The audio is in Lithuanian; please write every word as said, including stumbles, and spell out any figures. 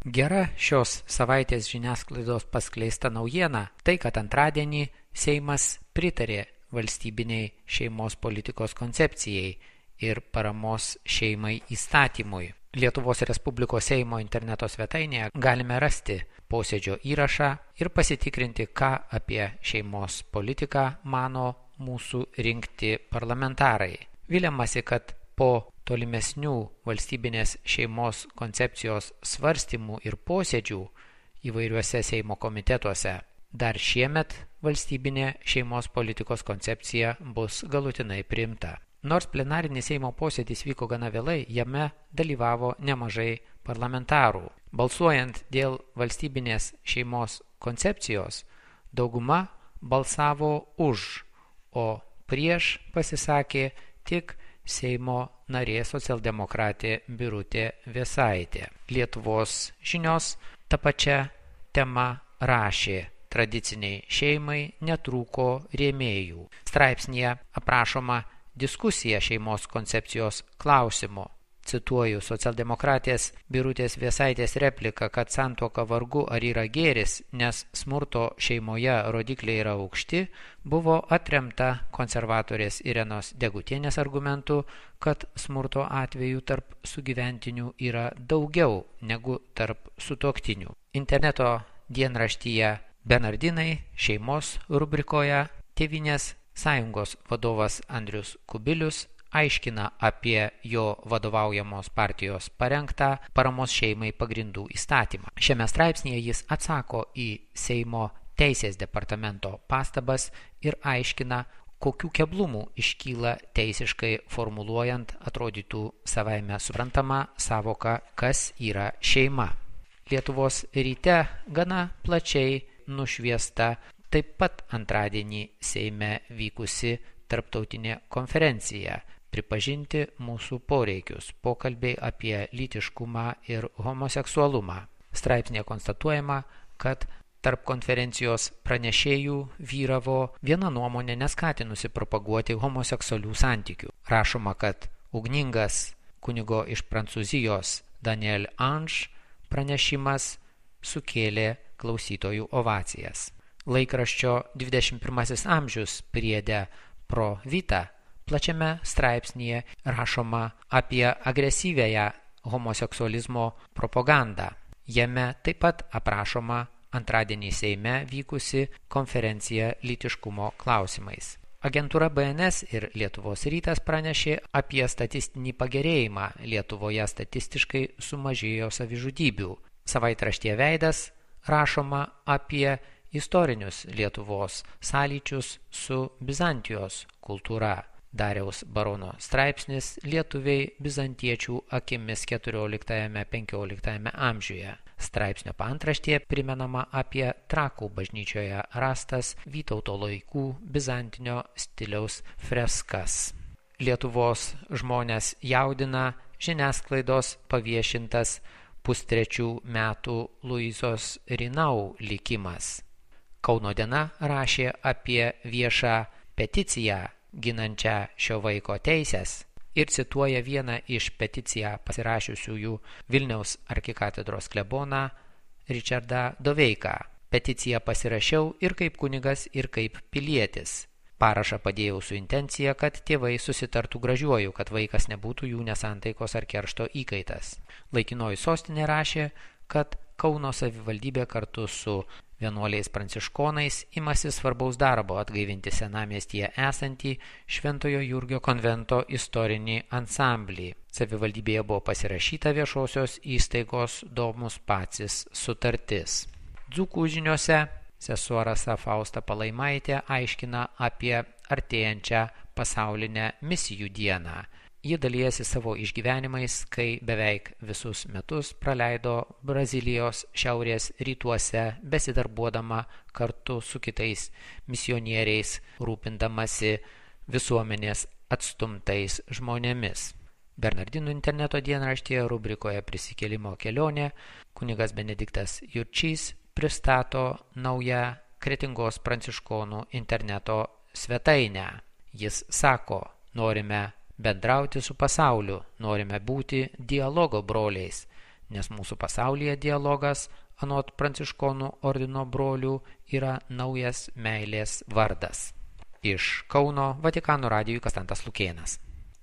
Gera šios savaitės žiniasklaidos paskleista naujiena tai, kad antradienį Seimas pritarė valstybiniai šeimos politikos koncepcijai ir paramos šeimai įstatymui. Lietuvos Respublikos Seimo interneto svetainėje galime rasti posėdžio įrašą ir pasitikrinti, ką apie šeimos politiką mano mūsų rinkti parlamentarai. Viliamasi, kad po tolimesnių valstybinės šeimos koncepcijos svarstymų ir posėdžių įvairiuose Seimo komitetuose dar šiemet valstybinė šeimos politikos koncepcija bus galutinai priimta. Nors plenarinis Seimo posėdis vyko gana vėlai, jame dalyvavo nemažai parlamentarų. Balsuojant dėl valstybinės šeimos koncepcijos, dauguma balsavo už, o prieš pasisakė tik Seimo narė socialdemokratė Birutė Vėsaitė. Lietuvos žinios ta pačia tema rašė: tradiciniai šeimai netrūko rėmėjų. Straipsnyje aprašoma diskusija šeimos koncepcijos klausimu. Cituoju socialdemokratės Birutės Vėsaitės repliką, kad santuoka vargu ar yra gėris, nes smurto šeimoje rodikliai yra aukšti, buvo atremta konservatorės Irenos Degutienės argumentu, kad smurto atvejų tarp sugyventinių yra daugiau negu tarp sutuoktinių. Interneto dienraštyje Bernardinai šeimos rubrikoje Tėvynės sąjungos vadovas Andrius Kubilius aiškina apie jo vadovaujamos partijos parengtą paramos šeimai pagrindų įstatymą. Šiame straipsnėje jis atsako į Seimo teisės departamento pastabas ir aiškina, kokių keblumų iškyla teisiškai formuluojant atrodytų savaime suprantamą savoką, kas yra šeima. Lietuvos ryte gana plačiai nušviesta taip pat antradienį Seime vykusi tarptautinė konferencija pripažinti mūsų poreikius, pokalbiai apie lytiškumą ir homoseksualumą. Straipsnėje konstatuojama, kad tarp konferencijos pranešėjų vyravo viena nuomonė neskatinusi propaguoti homoseksualių santykių. Rašoma, kad ugningas kunigo iš Prancūzijos Daniel Ange pranešimas sukėlė klausytojų ovacijas. Laikraščio dvidešimt pirmasis amžius priede Pro Vita plačiame straipsnyje rašoma apie agresyvėją homoseksualizmo propagandą. Jame taip pat aprašoma antradienį Seime vykusi konferencija lytiškumo klausimais. Agentūra B N S ir Lietuvos rytas pranešė apie statistinį pagerėjimą. Lietuvoje statistiškai sumažėjo savižudybių. Savaitraštyje Veidas rašoma apie istorinius Lietuvos sąlyčius su Bizantijos kultūra. Dariaus Barono straipsnis Lietuviai bizantiečių akimis keturioliktajame penkioliktajame amžiuje. Straipsnio paantraštėje primenama apie Trakų bažnyčioje rastas Vytauto laikų bizantinio stiliaus freskas. Lietuvos žmonės jaudina žiniasklaidos paviešintas pustrečių metų Luizos Rinau likimas. Kauno diena rašė apie viešą peticiją ginančią šio vaiko teisės ir cituoja vieną iš peticiją pasirašiusiųjų Vilniaus arkikatedros kleboną Ričardą Doveiką. Peticiją pasirašiau ir kaip kunigas, ir kaip pilietis. Parašą padėjau su intencija, kad tėvai susitartų gražiuoju, kad vaikas nebūtų jų nesantaikos ar keršto įkaitas. Laikinoji sostinė rašė, kad Kauno savivaldybė kartu su vienuoliais pranciškonais imasi svarbaus darbo atgaivinti senamiestyje esantį Šventojo Jurgio konvento istorinį ansamblį. Savivaldybėje buvo pasirašyta viešosios įstaigos Domus Pacis sutartis. Dzūkų žiniose sesuo Rasa Fausta Palaimaitė aiškina apie artėjančią pasaulinę misijų dieną. Ji dalijasi savo išgyvenimais, kai beveik visus metus praleido Brazilijos šiaurės rytuose, besidarbuodama kartu su kitais misionieriais, rūpindamasi visuomenės atstumtais žmonėmis. Bernardinų interneto dienraštyje rubrikoje Prisikėlimo kelionė kunigas Benediktas Jurčys pristato naują Kretingos pranciškonų interneto svetainę. Jis sako, norime bendrauti su pasauliu, norime būti dialogo broliais, nes mūsų pasaulyje dialogas, anot pranciškonų ordino brolių, yra naujas meilės vardas. Iš Kauno Vatikano radijui Kastantas Lukėnas.